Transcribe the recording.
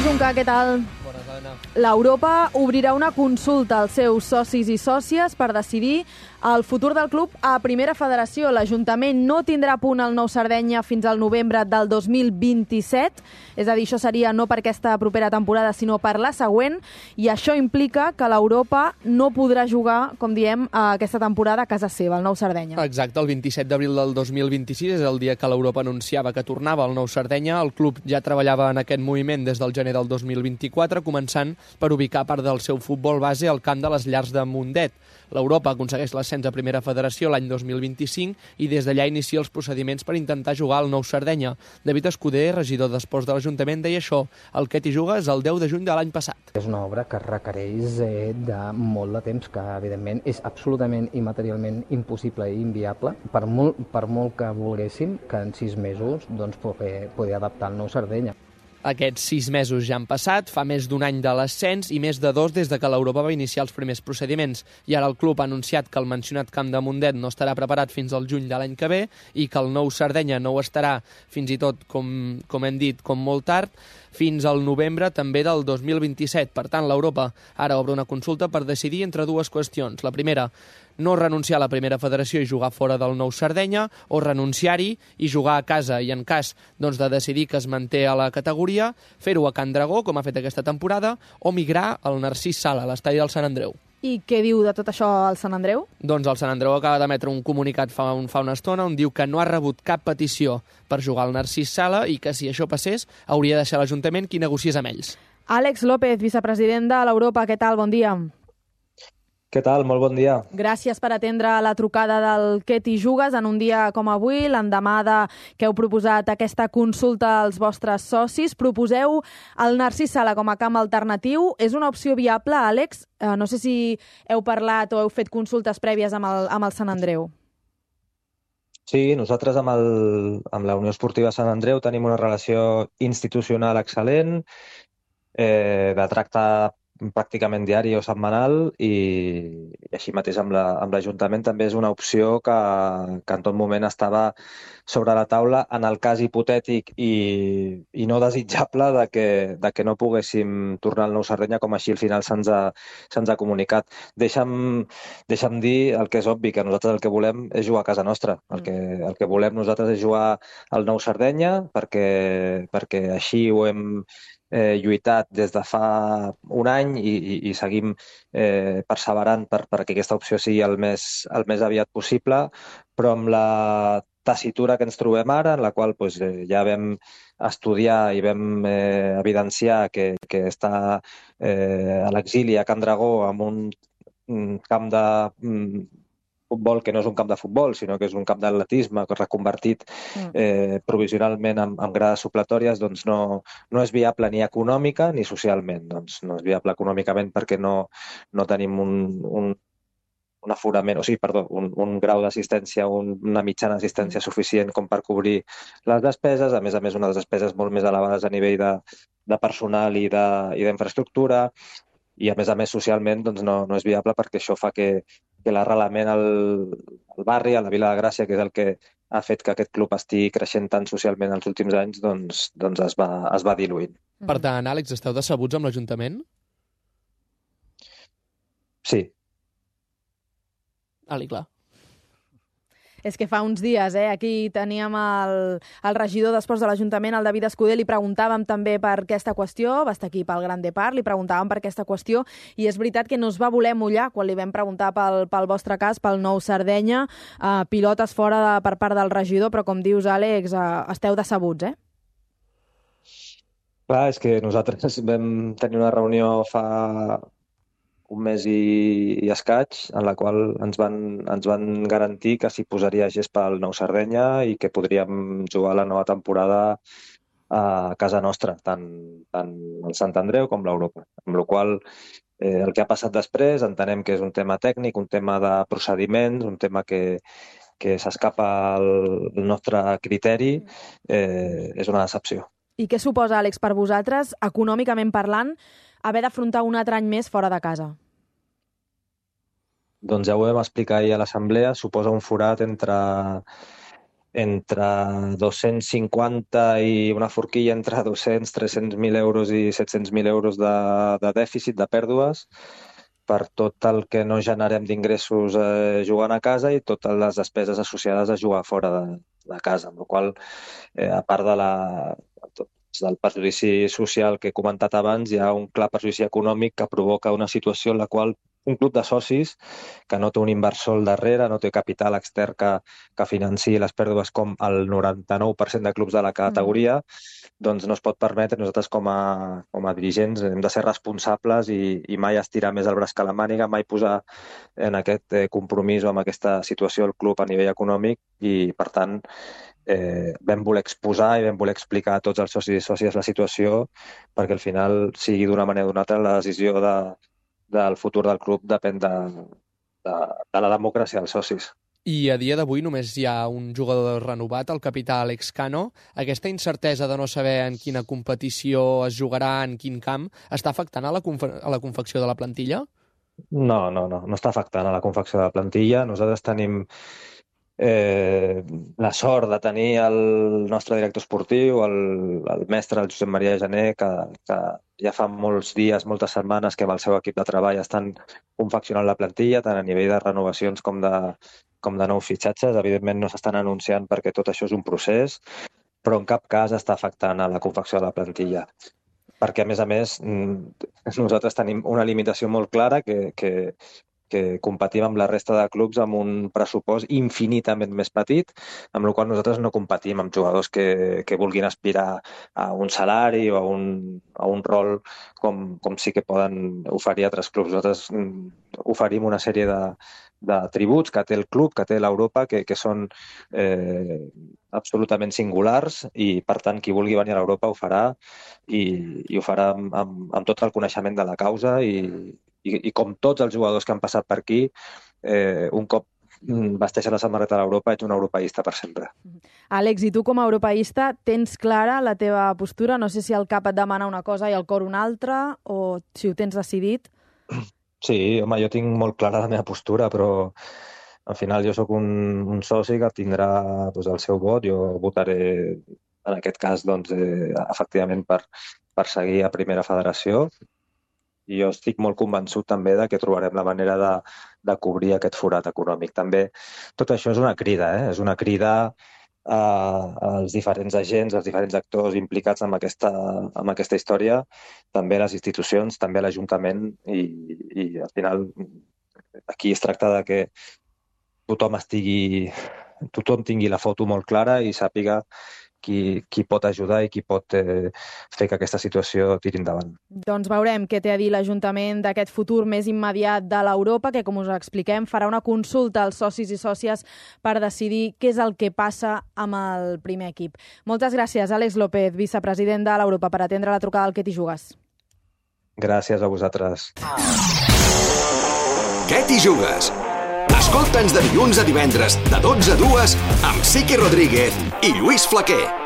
Junca, què tal? Bones, Helena. L'Europa obrirà una consulta als seus socis i sòcies per decidir el futur del club a Primera Federació. L'Ajuntament no tindrà punt al Nou Sardenya fins al novembre del 2027, és a dir, això seria no per aquesta propera temporada, sinó per la següent, i això implica que l'Europa no podrà jugar, com diem, aquesta temporada a casa seva, al Nou Sardenya. Exacte, el 27 d'abril del 2026 és el dia que l'Europa anunciava que tornava al Nou Sardenya. El club ja treballava en aquest moviment des del gener del 2024, començant per ubicar part del seu futbol base al camp de les Llars de Mundet. L'Europa aconsegueix l'ascens a Primera Federació l'any 2025 i des d'allà inicia els procediments per intentar jugar al Nou Sardenya. David Escudé, regidor d'Esports de l'Ajuntament, deia això: el que t'hi jugues el 10 de juny de l'any passat. És una obra que requereix de molt de temps, que evidentment és absolutament i materialment impossible i inviable, per molt que volguéssim que en 6 mesos poder adaptar el Nou Sardenya. Aquests 6 mesos ja han passat, fa més d'un any de l'ascens i més de 2 des de que l'Europa va iniciar els primers procediments. I ara el club ha anunciat que el mencionat camp de Mundet no estarà preparat fins al juny de l'any que ve i que el Nou Sardenya no ho estarà, fins i tot, com hem dit, com molt tard, fins al novembre també del 2027. Per tant, l'Europa ara obre una consulta per decidir entre dues qüestions. La primera, no renunciar a la Primera Federació i jugar fora del Nou Sardenya, o renunciar-hi i jugar a casa i en cas de decidir que es manté a la categoria, fer-ho a Can Dragó, com ha fet aquesta temporada, o migrar al Narcís Sala, a l'estadi del Sant Andreu. I què diu de tot això el Sant Andreu? Doncs el Sant Andreu acaba d'emetre un comunicat fa una estona on diu que no ha rebut cap petició per jugar al Narcís Sala i que si això passés hauria de ser l'Ajuntament qui negociés amb ells. Àlex López, vicepresident de l'Europa, què tal? Bon dia. Què tal? Molt bon dia. Gràcies per atendre la trucada del Què t'hi jugues en un dia com avui, l'endemà que heu proposat aquesta consulta als vostres socis. Proposeu el Narcís Sala com a camp alternatiu. És una opció viable, Àlex? No sé si heu parlat o heu fet consultes prèvies amb el Sant Andreu. Sí, nosaltres amb la Unió Esportiva Sant Andreu tenim una relació institucional excel·lent, de tracte pràcticament diari o setmanal, i així mateix amb l'Ajuntament també és una opció que en tot moment estava sobre la taula en el cas hipotètic i no desitjable de que no poguéssim tornar al Nou Sardenya, com així al final se'ns ha comunicat. Deixa'm dir el que és obvi, que nosaltres el que volem és jugar a casa nostra. El que volem nosaltres és jugar al Nou Sardenya perquè així ho hem lluitat des de fa un any i seguim perseverant perquè aquesta opció sigui el més aviat possible, però amb la tessitura que ens trobem ara, en la qual ja vam estudiar i vam evidenciar que està a l'exili a Can Dragó amb un camp de futbol que no és un camp de futbol, sinó que és un camp d'atletisme reconvertit provisionalment amb grades supletòries, doncs no és viable ni econòmica ni socialment. Doncs no és viable econòmicament perquè no tenim un aforament, un grau d'assistència, una mitjana d'assistència suficient com per cobrir les despeses, a més unes despeses molt més elevades a nivell de personal i d'infraestructura, i a més socialment doncs no és viable perquè això fa que l'arrelament al barri, a la Vila de Gràcia, que és el que ha fet que aquest club estigui creixent tant socialment els últims anys, doncs es va diluint. Per tant, Àlex, esteu decebuts amb l'Ajuntament? Sí. Ali, clar. És que fa uns dies, aquí teníem el regidor d'Esports de l'Ajuntament, el David Escudé, li preguntàvem també per aquesta qüestió, va estar aquí pel Gran Depart, li preguntàvem per aquesta qüestió, i és veritat que no es va voler mullar quan li vam preguntar pel vostre cas, pel Nou Sardenya, pilotes fora per part del regidor, però com dius, Àlex, esteu decebuts, Clar, és que nosaltres vam tenir una reunió fa un mes i escaig, en la qual ens van garantir que s'hi posaria gespa al Nou Sardenya i que podríem jugar la nova temporada a casa nostra, tant el Sant Andreu com l'Europa. Amb la qual el que ha passat després entenem que és un tema tècnic, un tema de procediments, un tema que s'escapa al nostre criteri, és una decepció. I què suposa, Àlex, per vosaltres, econòmicament parlant, haver d'afrontar un altre any més fora de casa? Doncs ja ho vam explicar ahir a l'assemblea, suposa un forat entre entre 250 i una forquilla entre 200, 300.000 euros i 700.000 euros de dèficit, de pèrdues, per tot el que no generem d'ingressos jugant a casa i totes les despeses associades a jugar fora de casa, amb la qual a part del perjudici social que he comentat abans, hi ha un clar perjudici econòmic que provoca una situació en la qual un club de socis que no té un inversor al darrere, no té capital extern que financi les pèrdues com el 99% de clubs de la categoria, doncs no es pot permetre. Nosaltres com a dirigents hem de ser responsables i mai estirar més el braç que la màniga, mai posar en aquest compromís o en aquesta situació el club a nivell econòmic i, per tant, vam voler exposar i vam voler explicar a tots els socis i sòcies la situació perquè al final sigui d'una manera o d'una altra la decisió del futur del club depèn de la democràcia dels socis. I a dia d'avui només hi ha un jugador renovat, el capità Àlex Cano. Aquesta incertesa de no saber en quina competició es jugarà, en quin camp, està afectant a la confecció de la plantilla? No està afectant a la confecció de la plantilla. Nosaltres tenim la sort de tenir el nostre director esportiu, el mestre, el Josep Maria Gené, que ja fa molts dies, moltes setmanes que amb el seu equip de treball estan confeccionant la plantilla, tant a nivell de renovacions com de nous fitxatges. Evidentment no s'estan anunciant perquè tot això és un procés, però en cap cas està afectant a la confecció de la plantilla. Perquè, a més, nosaltres tenim una limitació molt clara que competim amb la resta de clubs amb un pressupost infinitament més petit, amb la qual nosaltres no competim amb jugadors que vulguin aspirar a un salari o a un rol com sí que poden oferir altres clubs. Nosaltres oferim una sèrie de tributs que té el club, que té l'Europa, que són absolutament singulars i, per tant, qui vulgui venir a l'Europa ho farà i ho farà amb tot el coneixement de la causa i com tots els jugadors que han passat per aquí, un cop vesteixen la samarreta de l'Europa, ets un europeista per sempre. Àlex, i tu com a europeista tens clara la teva postura? No sé si el cap et demana una cosa i el cor una altra, o si ho tens decidit? Sí, home, jo tinc molt clara la meva postura, però al final jo sóc un soci que tindrà el seu vot. Jo votaré, en aquest cas, efectivament per seguir a Primera Federació. I jo estic molt convençut també que trobarem la manera de cobrir aquest forat econòmic. També tot això és una crida, és una crida als diferents agents, als diferents actors implicats en aquesta història, també les institucions, també l'Ajuntament, i al final aquí es tracta de que tothom tingui la foto molt clara i sàpiga qui pot ajudar i qui pot fer que aquesta situació tiri endavant. Doncs veurem què té a dir l'Ajuntament d'aquest futur més immediat de l'Europa, que, com us expliquem, farà una consulta als socis i sòcies per decidir què és el que passa amb el primer equip. Moltes gràcies, Àlex López, vicepresident de l'Europa, per atendre la trucada del Què t'hi jugues. Gràcies a vosaltres. Què t'hi jugues? Escolta'ns de dilluns a divendres, de 12 a 2, amb Siqui Rodríguez i Lluís Flaquer.